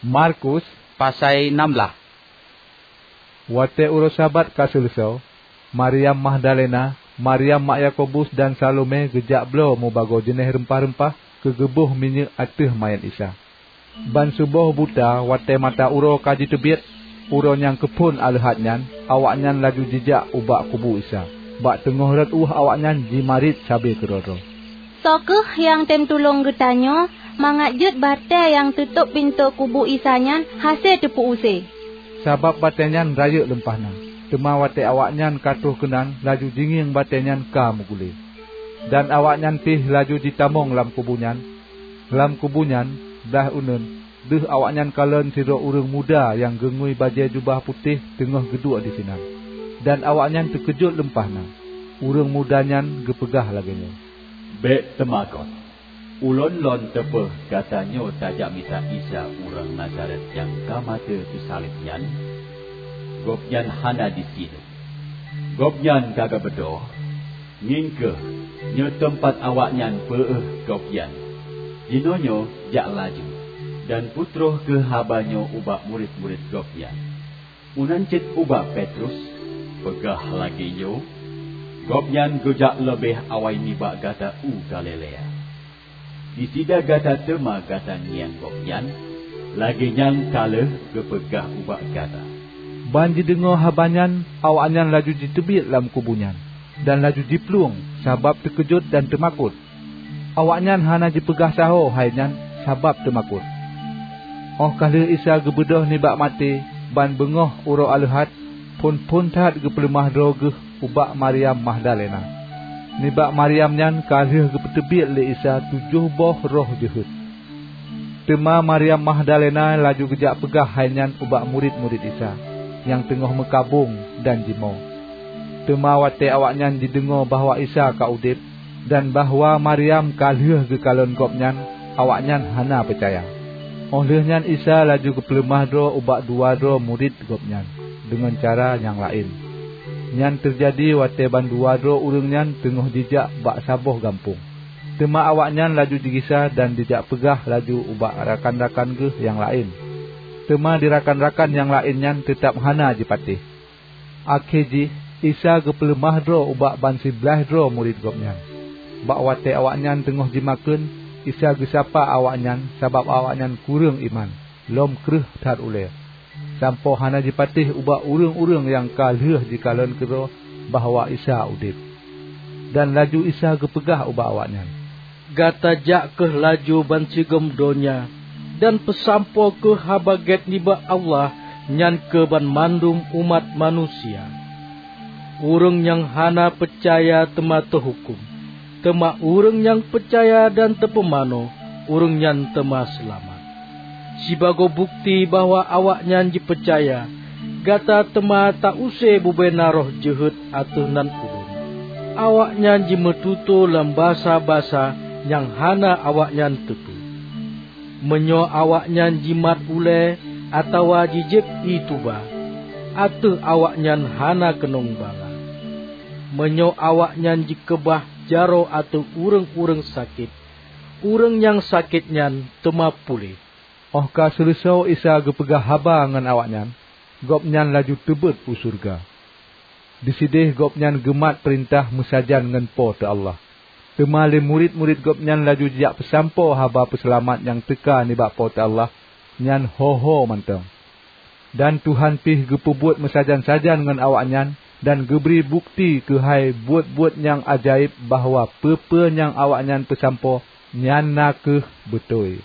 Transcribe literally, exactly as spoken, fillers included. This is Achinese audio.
Markus pasai nam blaih. Watée uroe Sabat ka seuleusoe, Maryam Magdalena, Maryam mak Yakobus dan Salome geujak bloe mubagoe jeuneh reumpah-reumpah keu geuboh minyeuk ateueh manyét Isa. Ban suboh buta watée mata uroe ka jiteubiet, uroe nyang keuphon aleuhat nyan, awaknyan laju jijak ubak kubu Isa. Bak teungoh rot ueh awaknyan jimarit sabe keudroe-droe. "Soe kheueh nyang tem tulông geutanyoe mangat jeuet batée nyang teutôb pintoe kubu Isa nyan hase teupeu-use?" Sabab batée nyan rayeuk leumpah na, teuma watée awaknyan ka troh keunan laju jingieng batée nyan ka meuguléh. Dan awaknyan pih laju jitamong lam kubu nyan. Lam kubu nyan, blaih uneuen, deuh awaknyan kalon sidroe ureuëng muda nyang geungui bajée jubah putéh teungoh geuduek disinan. Dan awaknyan teukeujot leumpah na. Ureuëng muda nyan geupeugah lagée nyoe, "Bék teumakot! Ulôn lôn teupeu gata nyoe tajak mita Isa ureuëng Nazaret nyang ka maté teusaleb nyan. Gobnyan hana disinoe. Gobnyan ka geubeudôh. Ngieng kheueh, nyoe teumpat awaknyan peuéh Gobnyan. Jinoenyoe jak laju, dan peutroh kheueh haba nyoe ubak murit-murit Gobnyan. Meunan cit ubak Petrus, peugah lagée nyoe, 'Gobnyan geujak leubeh awai nibak gata u Galilea. Disida gata teuma gata ngieng Gobnyan, lagée nyang ka lheueh geupeugah ubak gata.'" Ban jideungoe haba nyan, awaknyan laju jiteubiet lam kubu nyan, dan laju jiplueng sabab teukeujot dan teumakot. Awaknyan hana jipeugah sahoe hai nyan sabab teumakot. Óh ka lheueh Isa geubeudôh nibak maté ban beungoh uroe aleuhat, phon-phon that geupeuleumah droe geuh ubak Maryam Magdalena. Nibak Maryam nyan ka lheueh geupeuteubiet lé Isa tujoh boh roh jeuhet. Teuma Maryam Magdalena laju geujak peugah hai nyan ubak murit-murit Isa nyang teungoh meukabong dan jimoe. Teuma watée awaknyan jideungoe bahwa Isa ka udeb, dan bahwa Maryam ka lheueh geukalon Gobnyan, awaknyan hana peucaya. Óh lheueh nyan Isa laju geupeuleumah droe ubak dua droe murit Gobnyan deungon cara nyang laén. Nyan teujadi watée bandua droe ureuëng nyan teungoh jijak bak saboh gampông. Teuma awaknyan laju jigisa dan jijak peugah laju ubak rakan-rakan geuh nyang laén. Teuma di rakan-rakan nyang laén nyan teutab hana jipatéh. Akhé jih, Isa geupeuleumah droe ubak ban siblaih droe murit Gobnyan. Bak watée awaknyan teungoh jimakheun, Isa geusapa awaknyan sabab awaknyan kureueng iman, lom kreueh that ulée, sampoe hana jipatéh ubak ureuëng-ureuëng nyang ka lheueh jikalon keudroe bahwa Isa udeb. Dan laju Isa geupeugah ubak awaknyan, "Gata jak kheueh laju bansigom donya dan peusampoe kheueh Haba Gét nibak Allah nyan keu banmandum umat manusia. Ureuëng nyang hana peucaya teuma teuhuköm, teuma ureuëng nyang peucaya dan teupumanö, ureuëng nyan teuma seulamat. Sibagoe bukeuti bahwa awaknyan jipeucaya, gata teuma ta-use bubena roh jeuhet ateueh nan Ulôn. Awaknyan jimeututoe lam basa-basa nyang hana awaknyan teupeue. Meunyoe awaknyan jimat ulée atawa jijieb ié tuba, ateueh awaknyan hana keunong bala. Meunyoe awaknyan jikeubah jaroe ateueh ureuëng-ureuëng sakét, ureuëng nyang sakét nyan teuma puléh." Óh ka seuleusoe Isa geupeugah haba ngon awaknyan, Gobnyan laju teubeuet u syeuruga. Disideh Gobnyan geumat peurintah meusajan ngon Po teu Allah. Teuma lé murit-murit Gobnyan laju jijak peusampoe haba peuseulamat nyang teuka nibak Po teu Allah nyan ho-ho mantong. Dan Tuhan pih geupeubuet meusajan-sajan ngon awaknyan dan geubri bukeuti keuhai buet-buet nyang ajaéb bahwa peue-peue nyang awaknyan peusampoe nyan na kheueh beutôi.